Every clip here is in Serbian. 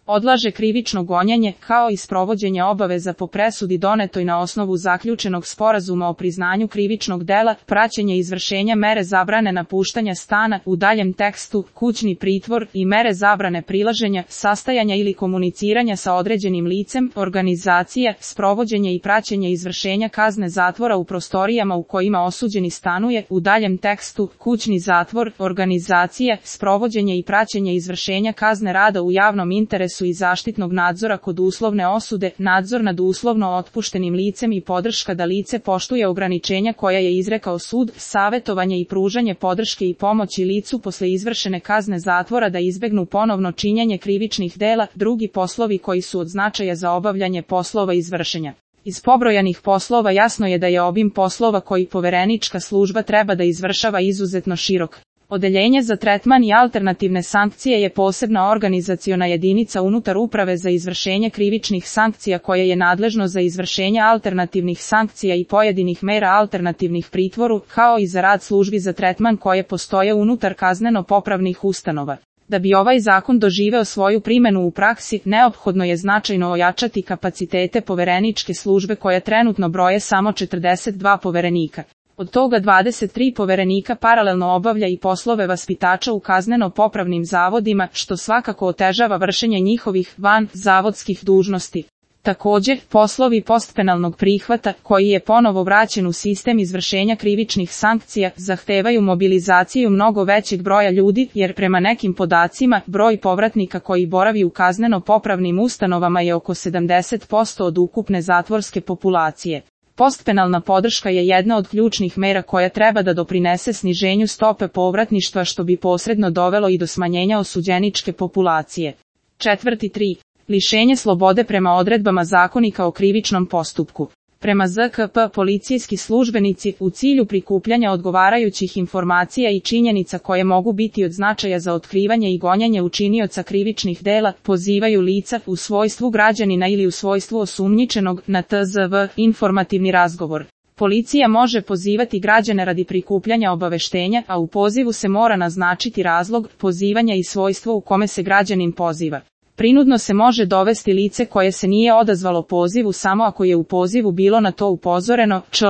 odlaže krivično gonjenje, kao i sprovođenje obaveza po presudi donetoj na osnovu zaključenog sporazuma o priznanju krivičnog dela, praćenje izvršenja mere zabrane napuštanja stana, u daljem tekstu, kućni pritvor i mere zabrane prilaženja, sastajanja ili komuniciranja sa određenim licem, organizacije, sprovođenje i praćenje izvršenja kazne zatvora u prostorijama u kojima osuđeni stanuje, u daljem tekstu, kućni zatvor, organizacije, sprovođenje i praćenje izvršenja kazne rada u javnom interesu i zaštitnog nadzora kod uslovne osude, nadzor nad uslovno otpuštenim licem i podrška da lice poštuje ograničenja koja je izrekao sud, savjetovanje i pružanje podrške i pomoći licu posle izvršene kazne zatvora da izbegnu ponovno činjenje krivičnih dela, drugi poslovi koji su od značaja za obavljanje poslova izvršenja. Iz pobrojanih poslova jasno je da je obim poslova koji poverenička služba treba da izvršava izuzetno širok. Odeljenje za tretman i alternativne sankcije je posebna organizaciona jedinica unutar Uprave za izvršenje krivičnih sankcija koje je nadležno za izvršenje alternativnih sankcija i pojedinih mera alternativnih pritvoru, kao i za rad službi za tretman koje postoje unutar kazneno-popravnih ustanova. Da bi ovaj zakon doživeo svoju primjenu u praksi, neophodno je značajno ojačati kapacitete povereničke službe koja trenutno broje samo 42 poverenika. Od toga 23 poverenika paralelno obavlja i poslove vaspitača u kazneno-popravnim zavodima, što svakako otežava vršenje njihovih van-zavodskih dužnosti. Također, poslovi postpenalnog prihvata, koji je ponovo vraćen u sistem izvršenja krivičnih sankcija, zahtevaju mobilizaciju mnogo većeg broja ljudi, jer prema nekim podacima, broj povratnika koji boravi u kazneno-popravnim ustanovama je oko 70% od ukupne zatvorske populacije. Postpenalna podrška je jedna od ključnih mera koja treba da doprinese sniženju stope povratništva što bi posredno dovelo i do smanjenja osuđeničke populacije. 4.3. Lišenje slobode prema odredbama Zakonika o krivičnom postupku. Prema ZKP, policijski službenici, u cilju prikupljanja odgovarajućih informacija i činjenica koje mogu biti od značaja za otkrivanje i gonjenje učinioca krivičnih dela, pozivaju lica u svojstvu građanina ili u svojstvu osumnjičenog na TZV, informativni razgovor. Policija može pozivati građane radi prikupljanja obaveštenja, a u pozivu se mora naznačiti razlog pozivanja i svojstvo u kome se građanin poziva. Prinudno se može dovesti lice koje se nije odazvalo pozivu samo ako je u pozivu bilo na to upozoreno, čl.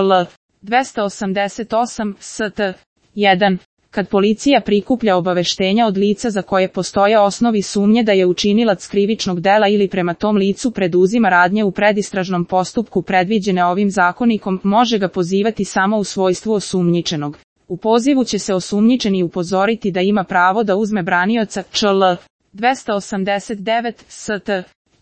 288 st. 1. Kad policija prikuplja obaveštenja od lica za koje postoje osnovi sumnje da je učinilac krivičnog dela ili prema tom licu preduzima radnje u predistražnom postupku predviđene ovim zakonikom, može ga pozivati samo u svojstvu osumnjičenog. U pozivu će se osumnjičeni upozoriti da ima pravo da uzme branioca, čl. 289 st.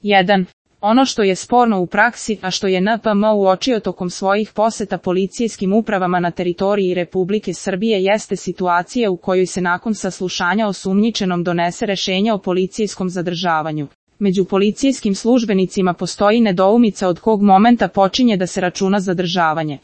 1. Ono što je sporno u praksi, a što je NPM uočio tokom svojih poseta policijskim upravama na teritoriji Republike Srbije jeste situacija u kojoj se nakon saslušanja osumnjičenom donese rešenje o policijskom zadržavanju. Među policijskim službenicima postoji nedoumica od kog momenta počinje da se računa zadržavanje.